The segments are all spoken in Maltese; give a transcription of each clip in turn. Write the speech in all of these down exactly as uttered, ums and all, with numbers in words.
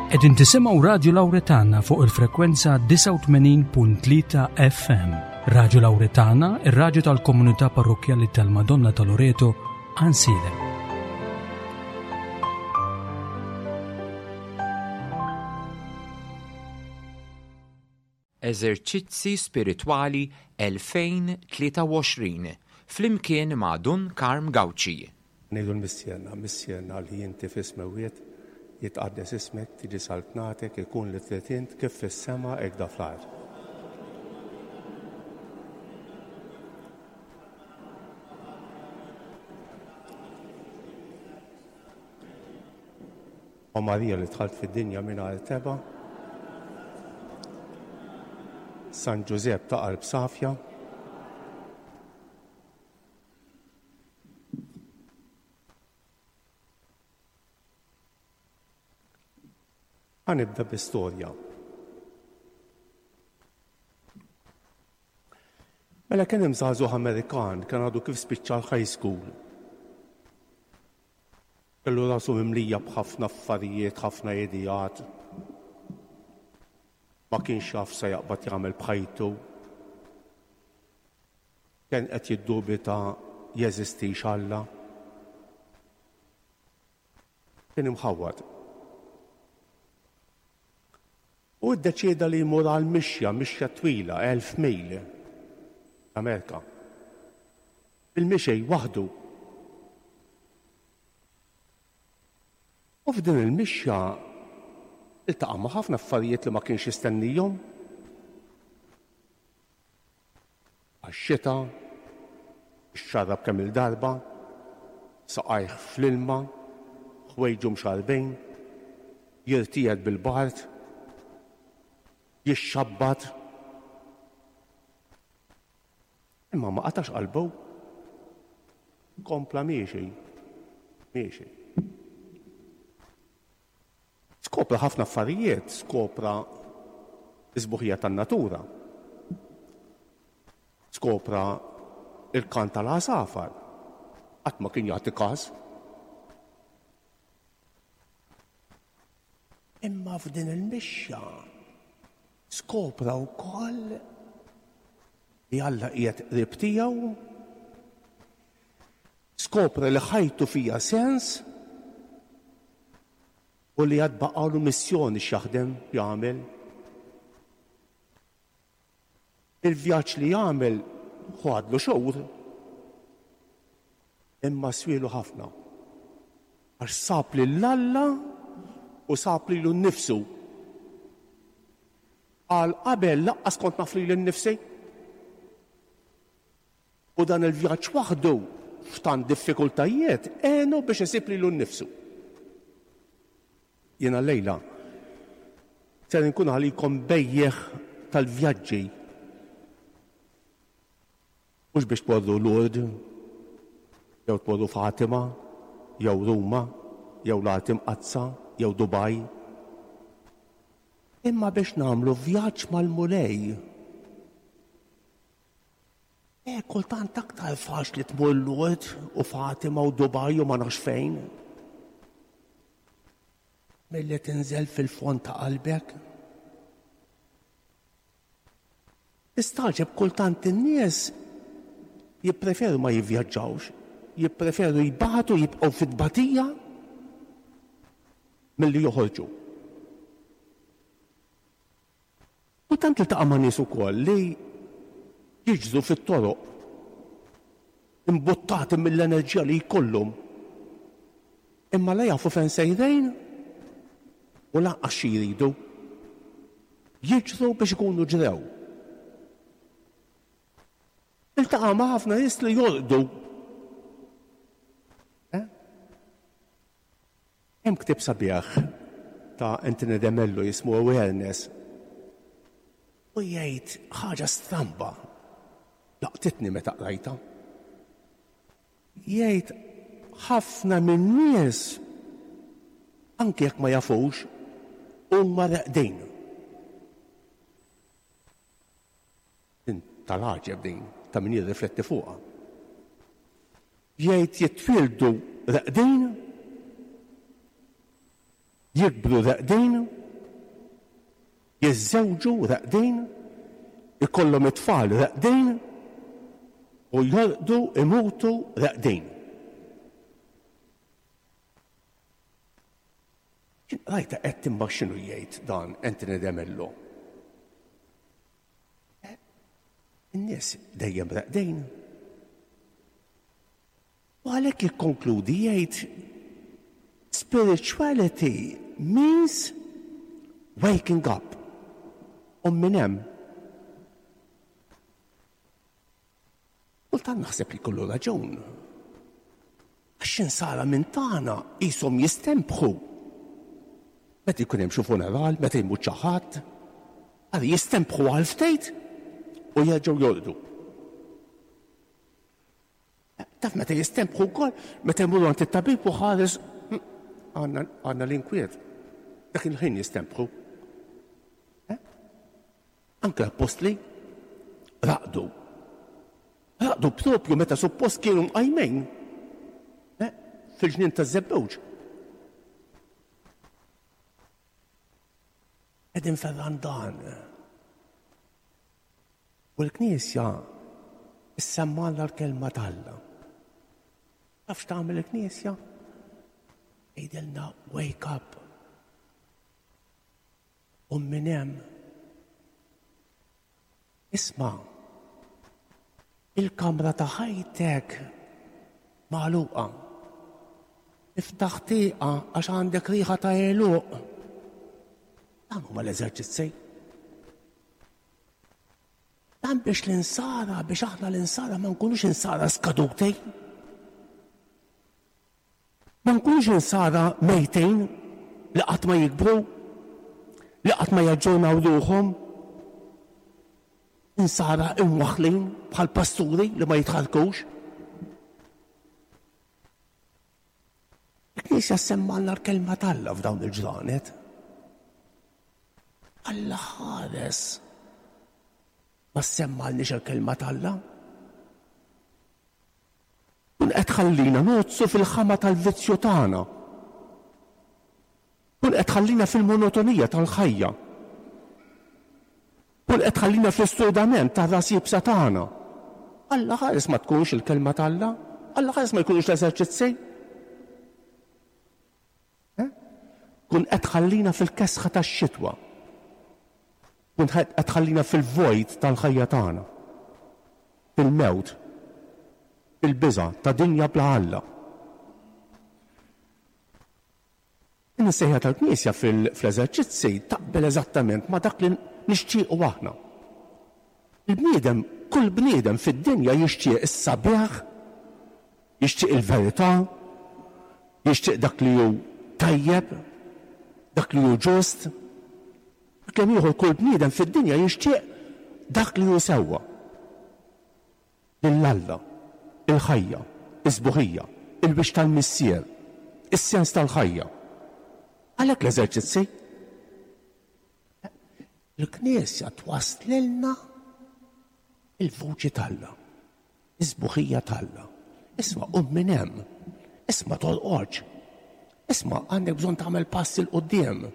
Qegħdin tisimgħu Radju Lawretana fuq il-frekwenza disgħa u tmenin punt tlieta F M. Radju Lawretana, ir-radju tal-komunità parrokkjali tal-Madonna ta' Loreto, Għajnsielem. Eżerċizzi Spiritwali elfejn tlieta u għoxrin flimkien ma' Dun Karm Gauci. Ngħidu l-Missierna, Missierna li inti fis-smewwiet, jitqaddes ismek, tiġi saltnatek, ikun li trid int kif fis-sema hekk da fl-art. O Marija li dħalt fid-dinja mingħajr tebgħa, San Ġużepp ta' qalb safja, Ħanibda bi-storja. Mela kien hemm żagħżugħ Amerikan kien għadu kif spiċċa l-high school. Kellu rasu mimlija b'ħafna affarijiet, ħafna ideat. Ma kienx jaf se jaqbad jagħmel b'ħajtu. Kien qed jiddubita jeżistix Alla. Kien imħawwad. U ddeċieda li jmur għal mixja, mixja twila, elf mil, Amerika. Il-mixej waħdu. U f'din il-mixja iltaqa' ma' ħafna affarijiet li ma kienx jistennihom. Għax-xita, ixxarrab kemm il-darba, saqajh fl-ilma, ħwejġu mxarbin, jirtiegħed bil-bard, jixxabbat. Imma ma qatax qalbu. Kompla miexi, miexi. Skopra ħafna affarijiet, skopra l-isbuħija tan-natura. Skopra il-kant tal-għasafar. Qatt ma kien jagħti każ. Imma f'din il-mixja skopra wkoll li Alla qiegħed qrib tiegħu, skopra li ħajtu fija sens u li għad baqalu missjoni x'jaħdem jagħmel. Il-vjaġġ li jagħmel ħadlu xhur, imma swielu ħafna. Għax sab lil Alla u sab lilu nnifsu. Għal qabel laqqas kont naf lili nnifsi. U dan il-vjaġġ waħdu f'tant diffikultajiet għenu biex isib lilu nnifsu. Jiena llejla ser inkun għalikom bejjeħ tal-vjaġġi. Mhux biex tmorru Lourdes, jew tmorru Fatima, jew Ruma, jew l-Art Imqaddsa, jew Dubai. Imma biex nagħmlu vjaġġ mal-Mulej. E, kultant aktar faċli tmur Lourdes u Fatima u Dubai u ma nafx fejn. Milli tinżel fil-fond ta' qalbek. Istaġeb kultant in-nies jippreferu ma jivvjaġġawx, jippreferu jbatu, jibqgħu fit-tbatija milli joħorġu. Kultant iltaqa' ma' nies ukoll li jiġru fit-toroq imbuttati mill-enerġija li jkollhom, imma la jafu fejn sejrejn u lanqas xi jridu. Jiġru biex ikunu ġrew. Iltaqa' ma' ħafna nies li jorqdu. Eh? Hemm ktieb sabiħ ta' Anthony de Mello jismu Awareness. U jgħid ħaġa stramba, laqtitni meta qrajtha. Jgħid ħafna min-nies, anke jekk ma jafux, huma reqdin. Din tal-għaġeb din, ta' min jirrifletti fuqha. Jgħid jitwieldu reqdin, Jikbru reqdin, jiżżewġu reqdin, ikollhom it-tfal reqdin u jorqdu imutu reqdin. Rajta qed imma x'inhu jgħid dan Anthony De Mello. In-nies dejjem reqdin. U għalhekk jikkonkludi jgħid spirituality means waking up. U minn hemm. Kultant naħseb li kollu raġun. Għax insara minn tagħna qishom jistempħu. Meta jkun hemm xi funeral, meta jmut xi ħadd, għal jistempħu għal ftit u jerġgħu jorqdu. Taf meta jistempħu wkoll, meta jmurru għand it-tabib u ħares għandna l-inkwiet. Dak il-ħin jistempħu. Anke l-appostli raqdu. Raqdu propju meta suppost kienu mqajmin fil-ġnien taż-Żebbuġ. Qegħdin fir-Randan. U l-Knisja issemmgħalna l-kelma t'Alla. Taf x'tagħmel il-Knisja? Tgħidilna wake up. U minn hemm isma' il-kamra ta' ħajtek magħluqa. Iftaħ tieqa għax għandek riħa ta' għeluq. Dan huma l-eżerċizzi. Dan biex l-insara, biex aħna l-insara ma nkunux insara skaduti. Ma nkunux insara mejtin li qatt ma jikbru, li qatt ma jaġġornaw ruħhom. Insara imwaħħlin bħal pasturi li ma jitħarkux. Il-Knisja semmgħalna l-kelma t'Alla f'dawn il-ġranet. Alla ħares ma semmgħalniex il-kelma t'Alla. Kun qed tħallina nozzu fil-ħama tal-vizzju tagħna. Kun qed tħallina fil-monotonija tal-ħajja. Kun qed tħallina fl-isturdament tar-ras iebsa tagħna. Alla ħares ma tkunx il-kelma t'Alla, Alla ħares ma jkunux l-eżerċizzi. Kun qed tħallina fil-kesħa tax-xitwa. Kun qed tħallina fil-vojt tal-ħajja tagħna. Fil-mewt, fil-biża' ta' dinja bla Alla. In-sejħa tal-Knisja fl-eżerċizzi taqbel eżattament ma' dak li nixtiequ aħna. Il-bniedem, kull bniedem fid-dinja jixtieq is-sabiħ, jixtieq il-verità, jixtieq dak li hu tajjeb, dak li hu ġust. Kemm ieħor kull bniedem fid-dinja jixtieq dak li hu sewwa. Lil Alla, il-ħajja, is-sbuħija, il-wixx tal-Missier, is-sens tal-ħajja. Għalhekk l-eżerċizzi. Il-Knisja twaslilna il-vuċi t'Alla, is-sbuħija t'Alla. Isma' qum minn hemm, isma' torqodx, isma' għandek bżonn tagħmel pass 'il quddiem.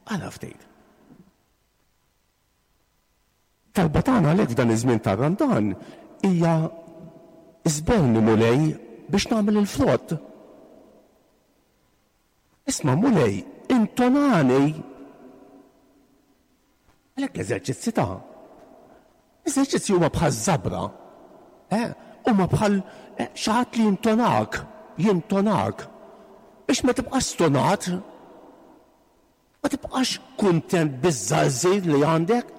Għala ftit. Talba tagħna għalhekk f'dan iż-żmien tar-Randan hija iżborni Mulej biex nagħmel il-frott. Isma' Mulej, intonani. Għalhekk l-eżerċizzi ta' l-eżerċizzi huma bħal żabra, eh? Huma bħal xi ħadd li jintonak, jintonak biex ma tibqax stonat, ma tibqax kuntent biż-żgħażir li għandek.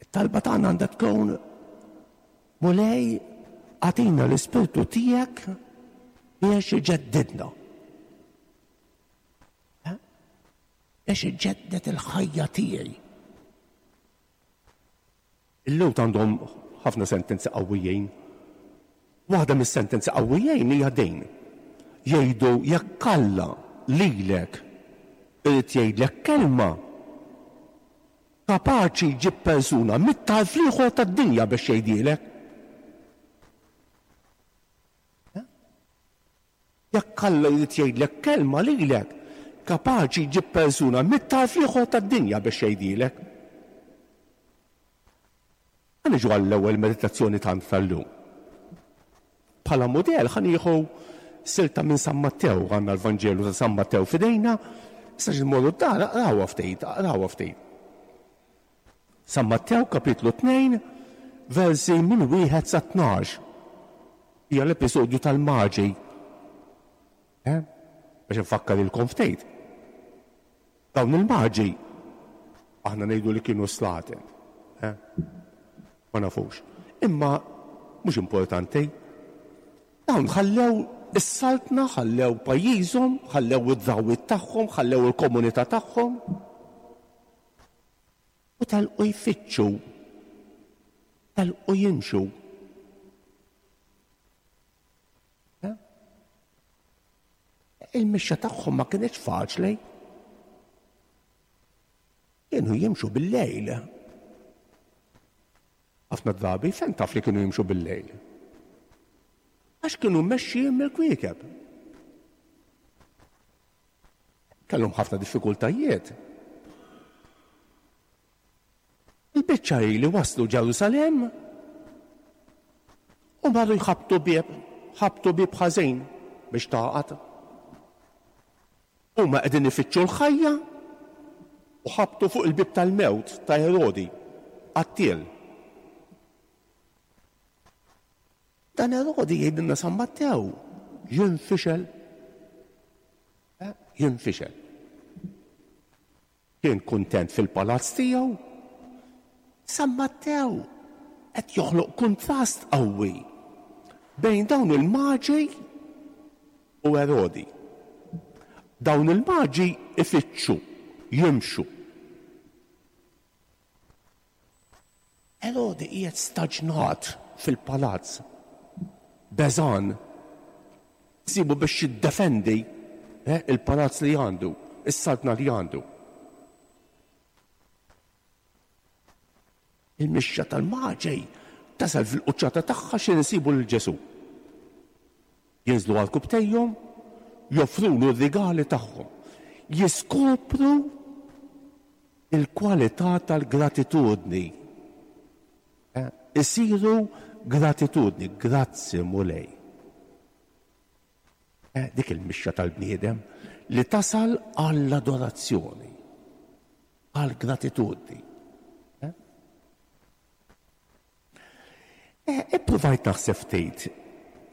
It-talba tagħna għandha tkun Mulej, agħtina l-Ispirtu tiegħek biex iġeddidna. Biex iġedded il-ħajja tiegħi. Il-Lhud għandhom ħafna sentenzi qawwijin. Waħda mis-sentenzi qawwijin hija din. Jgħidu jekk Alla lilek irid jgħidlek kelma, kapaċi jġib persuna mit-tarf l-ieħor tad-dinja biex jgħidilek. Jekk Alla jrid jgħidlek kelma lilek, kapaċi jġib persuna mit-tarf l-ieħor tad-dinja biex jgħidilek. Ħa niġu għall-ewwel meditazzjoni tant tal-lum. Bħala mudell ħa nieħu silta minn San Mattew, għandna l-Vanġelu ta' San Mattew f'idejna, issa xi mmorru d-dar, aqrawha ftit, aqrawha ftit. San Mattew kapitlu tnejn, versi minn wieħed sa tnax. Hija l-episodju tal-Maġi. Eh? Biex nfakkar ilkom ftit. Dawn il-Maġi aħna ngħidu li kienu slaten. Eh? Ma nafux. Imma mhux importanti. Dawn ħallew is-saltna, ħallew pajjiżhom, ħallew id-drawwiet tagħhom, ħallew il-komunità tagħhom. U telqu jfittxu, telqu jimxu. Il-mixja tagħhom ma kienx faċli. Kienu jimxu bil-lejl. Ħafna drabi fejn taf li kienu jimxu bil-lejl? Għax kienu mmexxijin mill-kwiekeb. Kellhom ħafna diffikultajiet. Il-biċċa hi li waslu Ġerusalemm u marru jħabbtu bieb, ħabtu bieb ħażin biex tagħqad. Huma qegħdin ifittxu l-ħajja u ħabtu fuq il-bieb tal-mewt ta' Erodi, qattiel. Dan Erodi jgħidilna San Mattew jinfixel. Jinfixel. Kien kuntent fil-palazz tiegħu. San Mattew qed joħloq kuntrast qawwi bejn dawn il-maġi u Erodi. Dawn il-maġi ifittxu, jimxu. Erodi qiegħed staġnat fil-palazz, beżan, sibu biex jiddefendi eh, il-palazz li għandu, is-saltna li għandu. Il-mixja tal-maġi tasal fil-quċċata tagħha xi nsibu lil Ġesù. Jinżlu għal kubtejhom, joffrulu r-rigali tagħhom. Jiskopru il-kwalità tal-gratitudni. Eh, isiru gratitudni, grazzi Mulej. Eh, dik il-mixja tal-bniedem li tasal għall-adorazzjoni, għall-gratitudni. Eh, Ippruvajt naħseb ftit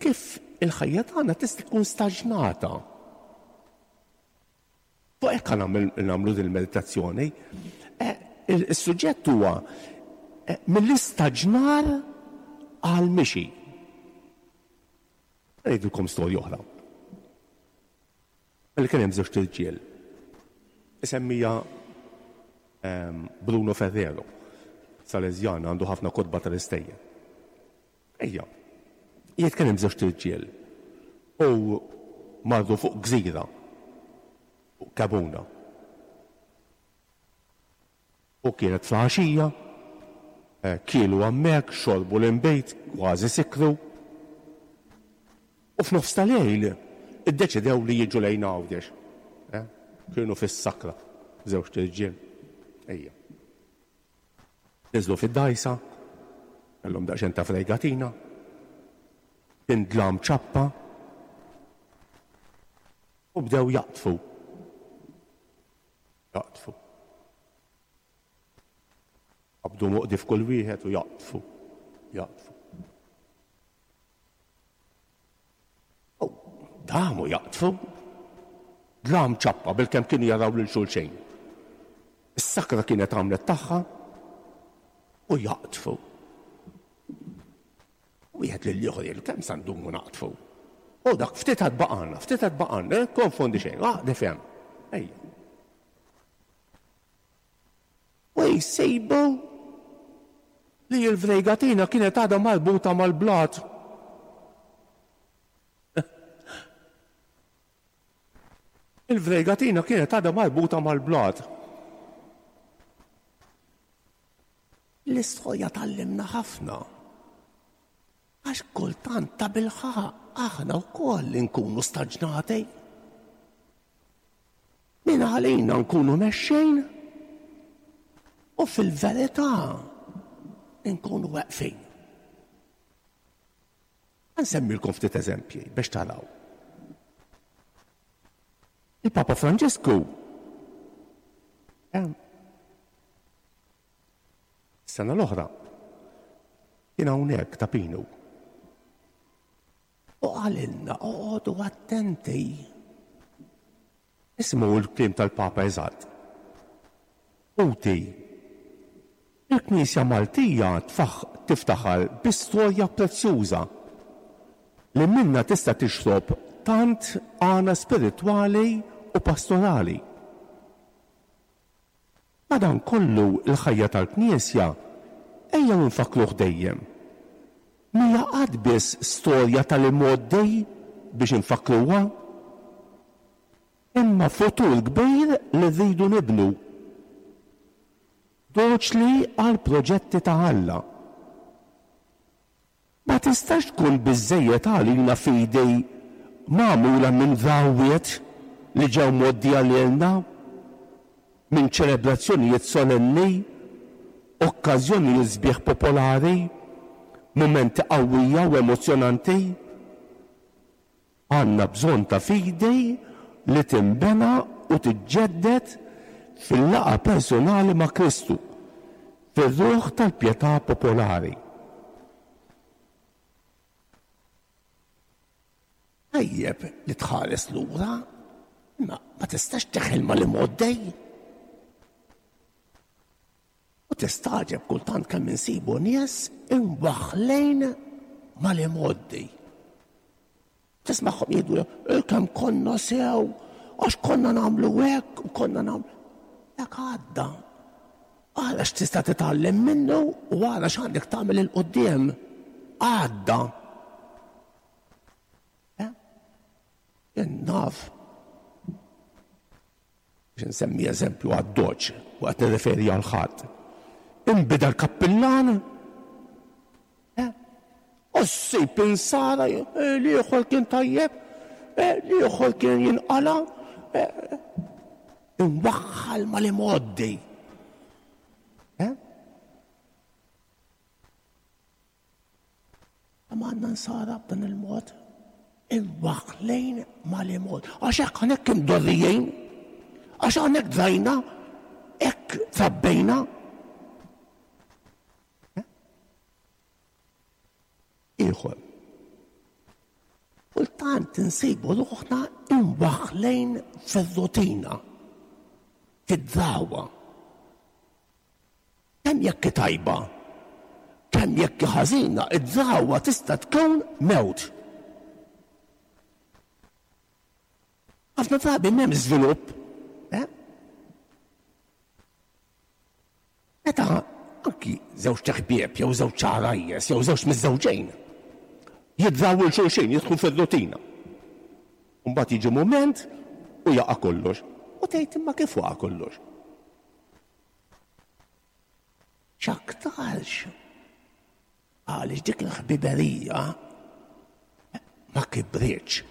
kif il-ħajja tagħna tista' tkun staġnata. Fuq hekk nagħmlu din il-meditazzjoni. Eh, Is-suġġett huwa eh, mill-istaġnar għal mixi. Ngħidilkom storja oħra. Li kien hemm żewġ irġiel. Isemmija ehm, Bruno Ferrero, Salesian, għandu ħafna kotba tal-istejjer. Ejja, jgħid kien hemm żewġ irġiel u marru fuq gżira, fuq Kabuna. U kienet flaxija, kielu hemmhekk, xorbu l-inbejt, kważi sikru. U f'nofs tal-lejl iddeċidew li jiġu lejn Għawdex. Kienu fis-sakra, żewġ irġiel. Ejja. Niżlu fid-dgħajsa, kellhom daqsxejn ta' fregatina, kien dlam ċappa, u bdew jaqtfu. Jaqtfu. Qabdu moqdi f'kull wieħed u jaqtfu. Jaqtfu. U damu jaqtfu. Dlam ċappa bilkemm kienu jaraw lil xulxejn. Is-sakra kienet għamlet tagħha u jaqtfu. Wieħed lil ieħor jgħidu kemm sa ndumu naqtfu. U dak ftit għad baqgħalna, ftit għad baqgħalna, konfondi xejn, aqdef hemm. Ejja. U jsejbu li l-fregatina kienet għadha marbuta mal-blat. Il-fregatina kienet għadha marbuta mal-blat. L-istorja tgħallimna ħafna. Għax kultant ta' bilħaq aħna wkoll inkunu staġnati. Min għalina nkunu mexxejn u fil-verità nkunu weqfin. Nsemmilkom ftit eżempji biex taraw. Il-Papa Franġisku sena l-oħra kien hawnhekk ta' Pinu. U qalilna oqogħdu attenti. Ismu l-kliem tal-Papa eżatt. Uti, il-Knisja Maltija tiftaħar bi storja prezzjuża li minna tista' tixrob tant għana spiritwali u pastorali. Madankollu l-ħajja tal-Knisja ejja nfakruh dejjem. Mhija qatt biss storja tal-imgħoddi biex infakruha, imma futur kbir li rridu nibnu. Doċli għal proġetti ta' Alla. Ma tistax tkun biżżejjed għalina fidi magħmula minn drawwiet li ġew mgħoddija lilna, minn ċelebrazzjonijiet solenni, okkażjonijiet sbieħ popolari, mumenti qawwija u emozzjonanti. Għandna bżonn ta' fidi li tinbena u tiġġedded fil-laqgħa personali ma' Kristu, fir-ruħ tal-pjetà popolari. Tajjeb li tħares lura, imma ma tistax teħel mal-imgħoddej. U tistaġeb kultant kemm insibu nies imwaħħlejn mal-imgħoddi. Tismagħhom jgħidu kemm konna sew, għax konna nagħmlu hekk u konna nagħmlu. Dak għadda. Għala x'tista' titgħallem minnu u għala x'għandek tagħmel il quddiem. Għadda. Naf. Biex nsemmi eżempju għad-doċ, u qed nirreferi għal ħadd. Inbida l-kappillan, u ssib insara l-ieħor kien tajjeb, l-ieħor kien jinqala, imwaħħal mal-imgħoddi. Ma għandna nsara b'dan il-mod, imwaħħlejn mal-imgħoddi. Għax hekk hawnhekk imdorrijin, għax hawnhekk drajna, hekk trabbejna. Ieħor. Kultant insibu ruħna imwaħħlejn fir-rutina, fid-drawwa. Kemm jekk tajba, kemm jekk ħażina, id-drawwa tista' tkun mewt. Ħafna drabi m'hemm żvilupp. Meta anki żewġ ħbieb jew żewġ għarajjes jew żewġ miżżewġejn jidraw il xulxin, jidħlu fir-rutina. Mbagħad jiġi mument u jaqa' kollox. U tgħid imma kif waqa' kollox? X'aktarx għaliex dik il-ħbiberija ma kibritx,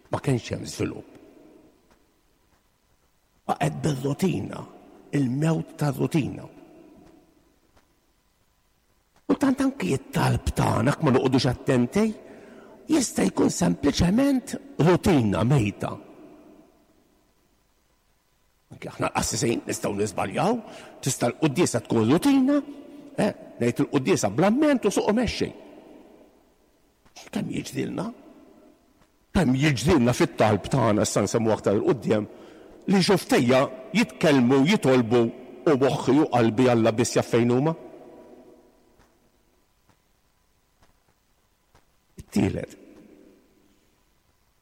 ma kienx hemm żvilupp. Baqgħet bir-rutina, il-mewt tar-rutina. U tant anki t-talb tagħna ma noqogħdux attenti, jista' jkun sempliċement rutina mejta. Anki aħna l-qassisin nistgħu niżbaljaw, tista' l-quddiesa tkun rutina, eh, ngħid il-quddiesa bl-amment u suq mexxi. Kemm jiġrilna? Kemm jiġrilna fit-talb tagħna issa nsemmu aktar il quddiem li xuftejja jitkellmu, jitolbu u moħħi u qalbi Alla biss jaf fejn huma. Tielet.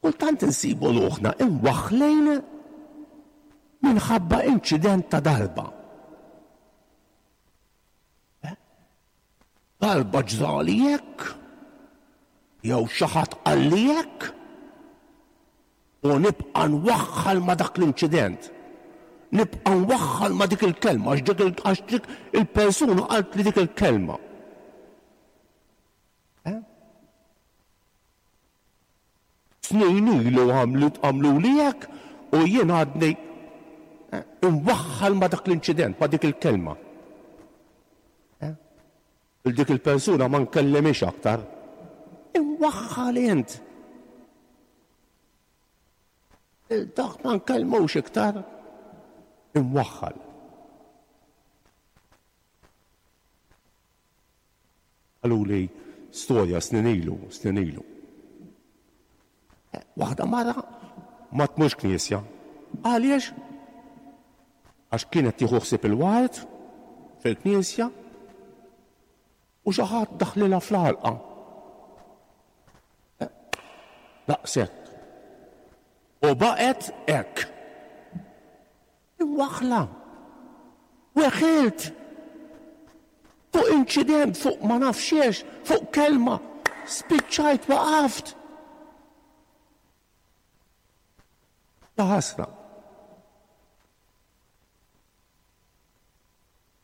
Kultant insibu ruħna imwaħħlejn minħabba inċident ta' darba. Darba ġrali hekk, jew xi ħadd qalli hekk, u nibqa' nwaħħal ma' dak l-inċident. Nibqa' nwaħħal ma' dik il-kelma, għax dik il-persuna qalt li dik il-kelma. Snin ilu għamlu li hekk u jien għadni imwaħħal ma' dak l-inċident, ma' dik il-kelma. Il dik il-persuna ma nkellimix aktar. Imwaħħal int. Il dak ma nkellmux iktar. Imwaħħal. Qaluli storja snin ilu, snin ilu. Waħda mara ma tmurx knisja. Għaliex? Għax kienet tieħu ħsieb il-ward fil-knisja u xi ħadd daħlilha fl-għalqa. Daqshekk. U baqgħet hekk. Imwaħħla. Weħilt. Fuq inċident, fuq ma nafx, fuq kelma, spiċċajt waqaft. Ta' ħasra.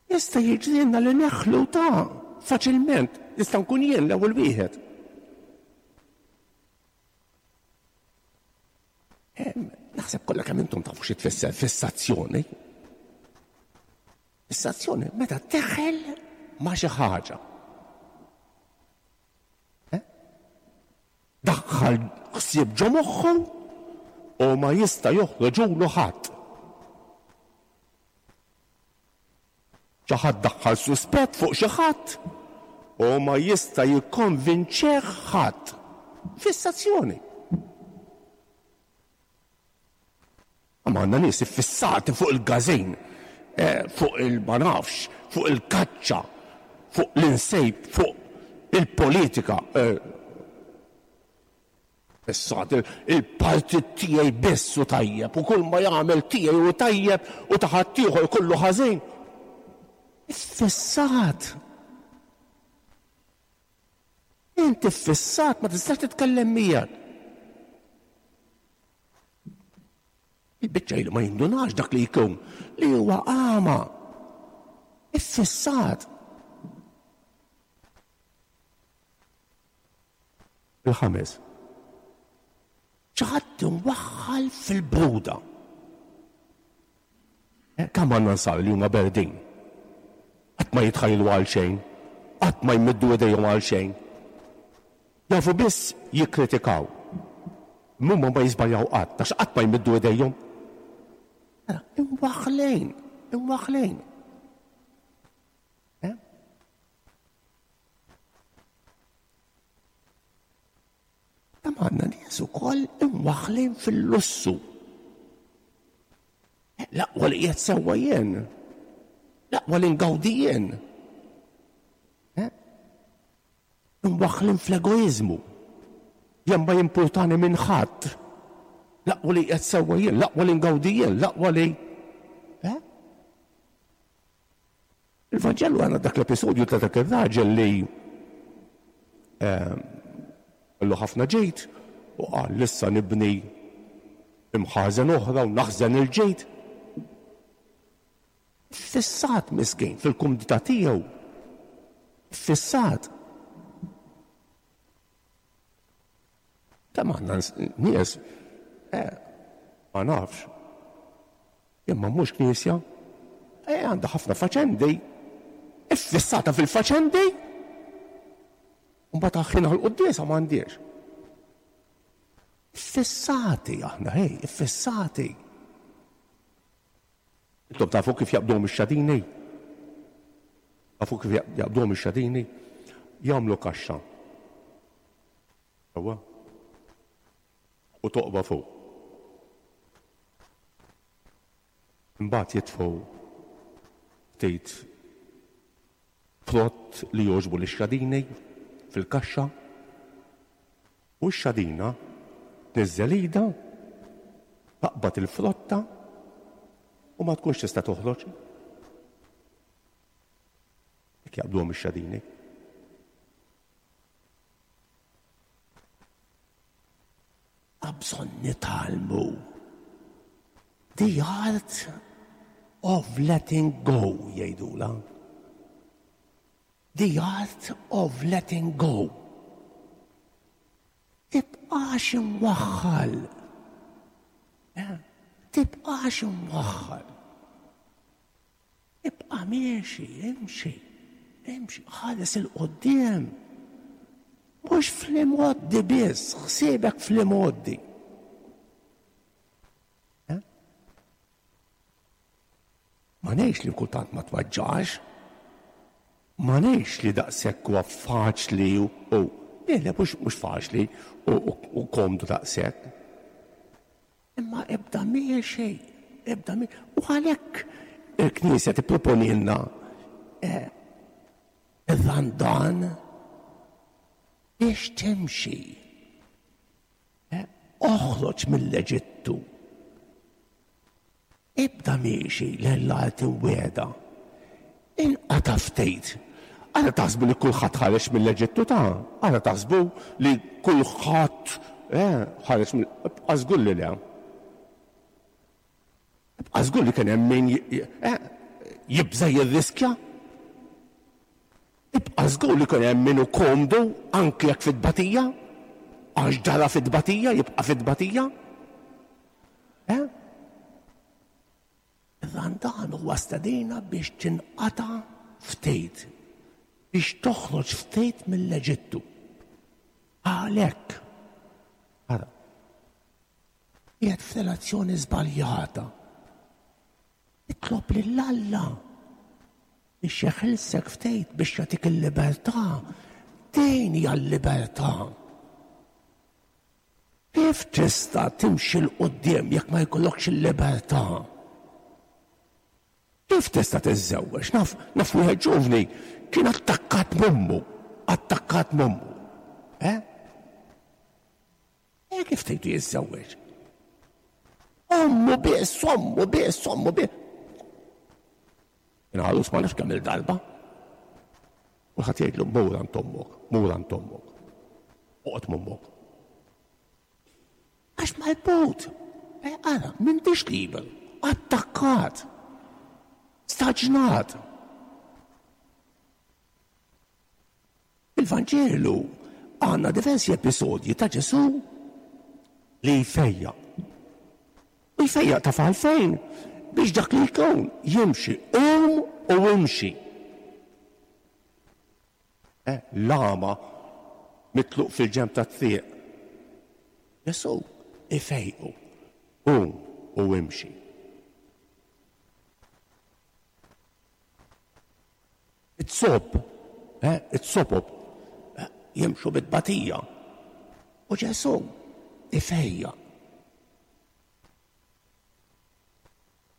Jista' jiġrilna li neħlu ta' faċilment, nista' nkun jien l-ewwel wieħed. Naħseb kollha kemm intom tafu xi tfisser fissazzjoni. Fissazzjoni meta teħel ma' xi ħaġa. Daħħal ħsieb ġo moħħu u ma jista' joħroġulu ħadd. Xi ħadd daħħal suspett fuq xi ħadd u ma jista' jikkonvinċeh ħadd. Fissazzjoni. Ma għandna nies iffissati fuq il-gażin, fuq il-ma nafx, fuq il-kaċċa, fuq l-insejb, fuq il-politika. Fissati il-partit tiegħi biss u tajjeb u kull ma jagħmel tiegħi u tajjeb u ta' ħaddieħor kollu ħażin. Iffissat. Inti ffissat ma tistax titkellem miegħek. Il-biċċa li ma jindunax dak li jkun li huwa għama. Iffissat. Il-ħames. Xi ħadd imwaħħal fil-bruda. Kemm għandna nsar li huma berdin. Qatt ma jitħajlu għal xejn, qatt ma jmiddu idejhom għal xejn. Jafu biss jikkritikaw. Mumma ma jiżbaljaw qatt, għax qatt ma jmiddu idejhom. Imwaħħlin, imwaħħlin. Kemm għandna nies ukoll imwaħħlin fil-lussu. L-aqwa li qiegħed sewwa jien. L-aqwa li ngawdi jien. Imwaħħlin fl-egoiżmu. Jien ma jimpurtani minn ħadd. L-aqwa li qiegħed sewwa jien, l-aqwa li ngawdi jien, l-aqwa li. Il-Vanġelu għandna dak l-episodju ta' dak ir-raġel li kellu ħafna ġejt u qal issa nibni imħażen oħra u naħżen il-ġejt. Fissat miskin fil-kumdità tiegħu. Fissat. Kemm għandna nies, eh, ma nafx. Imma mhux knisja, eh, għandha ħafna faċendi. Iffissata fil-faċendi. U mbagħad aħħin għall-quddiesa m'għandix. Iffissati aħna, hej, iffissati. Intom tafu kif jaqbduhom ix-xadini? Tafu kif jaqbduhom ix-xadini? Jagħmlu kaxxa. Ewwa. U toqba fuq. Imbagħad jitfgħu ftit frott li jogħġbu lix-xadini fil-kaxxa u x-xadina tniżżel idha, taqbad il-frotta u ma tkunx tista' toħroġ. Hekk jaqbduhom ix-xadini. Bżonn nitgħallmu. The art of letting go, jgħidula. The art of letting go. Tibqax imwaħħal. Eh? Tibqax imwaħħal. Ibqa' miexi, imxi, imxi, ħares 'il quddiem. Mhux fl-imgħoddi biss, ħsiebek fl-imgħoddi. Eh? Ma ngħidx li kultant ma tweġġax, ma ngħidx li daqshekk huwa faċli u le, le, mhux mhux faċli u, u, u komdu daqshekk. Imma ibda miexi, ibda miexi. U għalhekk il-Knisja tipproponilna eh, ir-Randan biex timxi. Eh, oħroġ mill-Eġittu. Ibda miexi lejn l-art imwiegħda. Inqata' ftit. Għala taħsbu li kulħadd ħareġ mill-Eġittu ta'? Għala taħsbu li kulħadd eh, ħareġ mill... Ibqa' żgur li le. Ibqa' żgur li kien hemm min eh, jibża' jirriskja. Ibqa' żgur li kien hemm min hu komdu anki jekk fit-tbatija, għax ġara fit-tbatija, jibqa' fit-tbatija. Eh? Ir-Randan huwa stedina biex tinqata' ftit, biex toħroġ ftit mill-Eġittu. Għalhekk, ara, qiegħed f'relazzjoni żbaljata. Itlob lil Alla biex jeħilsek ftit, biex jagħtik il-libertà. Din hija l-libertà. Kif tista' timxi 'l quddiem jekk ma jkollokx il-libertà? Kif tista' tiżżewweġ? Naf, naf wieħed ġuvni kien attakkat m'ommu, attakkat m'ommu. Eh? Eh, kif tgħidu jiżżewweġ? Ommu biss, ommu biss, ommu biss. Inħalus ma nafx kemm il-darba. U ħadd jgħidlu mur għand ommok, mur għand ommok. Oqgħod m'ommok. Għax marbut. Eh, ara, m'intix liberu, attakkat. Staġnat. Il-Vanġelu għandna diversi episodji ta' Ġesù li jfejjaq. U jfejjaq ta' għalfejn biex dak li jkun jimxi, qum u imxi. Eh, l-għama mitluq fil-ġenb tat-triq. Ġesù ifejqu, qum u imxi. It-sob, eh, it-sobob, eh, jimxu bit-batija. U Ġesù ifejjaq.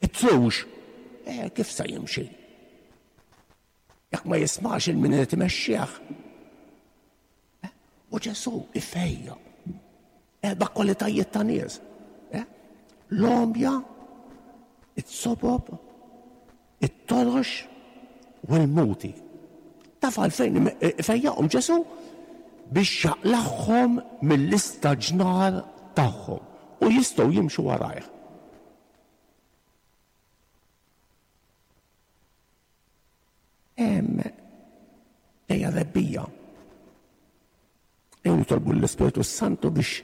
It-trux, eh, kif sa jimxi? Jekk ma jismax il-min irid imexxih. Eh, u Ġesù ifejjaq. Erba' kwalitajiet ta' nies. Eh? L-għomja, it-sobob, it-torox u l-muti. Taf għalfejn ifejjaqhom Ġesù? Biex jaqlagħhom mill-istaġnar tagħhom u jistgħu jimxu warajh. Hemm ejja rebbija. Ejja nitolbu l-Ispirtu Santu biex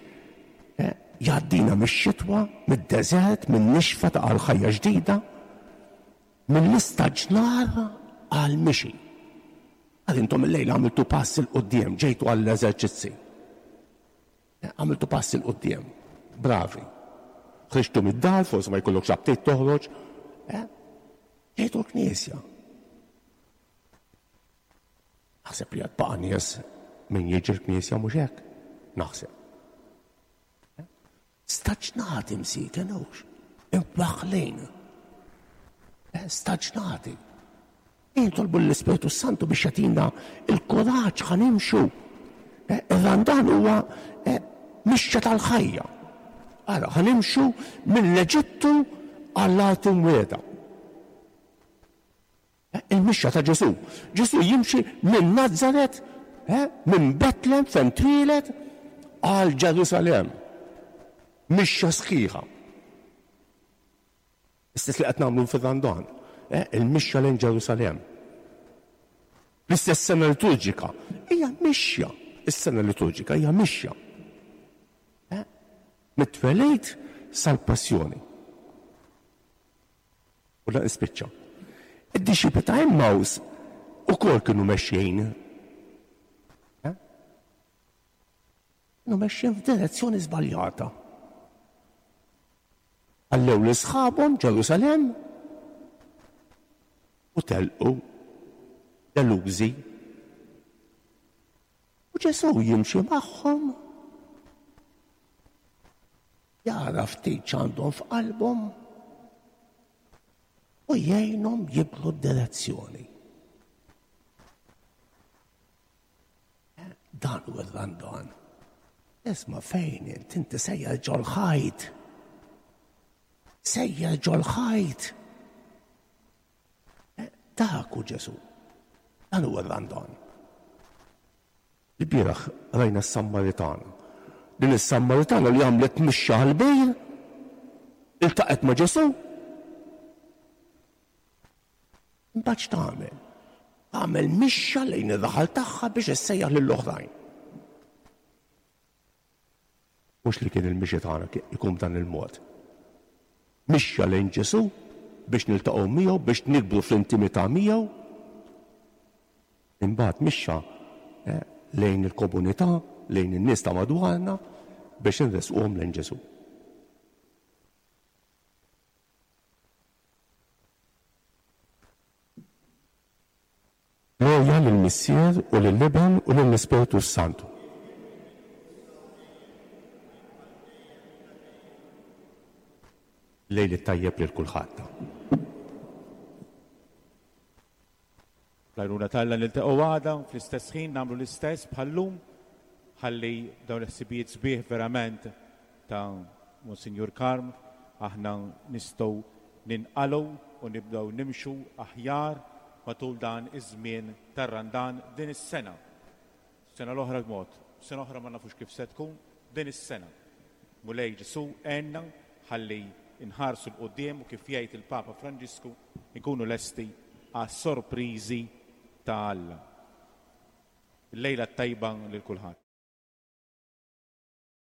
eh, jgħaddina mix-xitwa, mid-deżert, min-nixfa ta' għal ħajja ġdida, mill-istaġnar għal mixi. Għal intom illejla għamiltu pass 'il quddiem, ġejtu għall-eżerċizzi. Għamiltu pass 'il quddiem. Bravi. Ħriġtu mid-dar, forsi ma jkollokx aptit toħroġ. Eh? Ġejtu l-knisja. Naħseb li għad baqa' nies min jiġi l-knisja mhux hekk. Naħseb. Staġnati msiken hux. Imwaħħlin. Staġnati. Nitolbu l-Ispirtu Santu biex jagħtina l-kuraġġ ħa nimxu. Ir-Randan huwa mixja tal-ħajja. Ara, ħa nimxu mill-Eġittu għall-art imwiegħda. Il-mixja ta' Ġesù. Ġesù jimxi minn Nazaret, minn Betlem fejn twieled, għal Ġerusalemm. Mixja sħiħa. Istess li qed nagħmlu fir-Randan, il-mixja lejn Ġerusalemm. L-istess sena liturġika hija mixja. Is-sena liturġika hija mixja. Mit-twelid sal-passjoni. U la nispiċċa. Id-dixxipli ta' Emmaus ukoll kienu mexjin. Eh? Kienu mexjin f'direzzjoni żbaljata. Ħallew lil sħabhom Ġerusalemm u telqu delużi. U Ġesù jimxi magħhom, jara ftit x'għandhom f'qalbhom u jgħinhom jibdlu d-direzzjoni. Dan hu r-Randan. Isma' fejn int, inti sejjer ġol-ħajt. Sejjer ġol-ħajt. Dak hu Ġesù. Dan hu r-Randan. Il-bieraħ rajna s-Sammaritana. Din is-Sammaritana li għamlet mixja għall-bejr, iltaqgħet ma' Ġesù. Imbagħad x'tagħmel? Tagħmel mixja lejn ir-raħal tagħha biex issejjaħ lill-oħrajn. Mhux li kien il-mixi tagħna ikun b'dan il-mod. Mixja lejn Ġesù biex niltaqgħu miegħu, biex nikbru fl-intimità miegħu. Imbagħad mixja, eh, lejn il-komunità, lejn in-nies ta' madwarna biex inresquhom lejn Ġesù. Glorja lill-Missier u lill-Iben u lill-Ispirtu s-Santu. Lejl it-tajjeb lil kulħadd. L-għajnuna t'Alla niltaqgħu għada fl-istess ħin nagħmlu l-istess bħal-lum, ħalli dawn il-ħsibijiet sbieħ verament ta' Monsinjur Karm aħna nistgħu ninqalgħu u nibdew nimxu aħjar matul dan iż-żmien tar-Randan din is-sena. Sena l-oħra b'mod, sena oħra ma nafux kif se tkun din is-sena. Mulej Ġesù għenna ħalli nħarsu l-qudiem u kif jgħid il-Papa Franġisku nkunu lesti għas-sorpriżi ta' Alla. Il-lejla t-tajba lil kulħadd.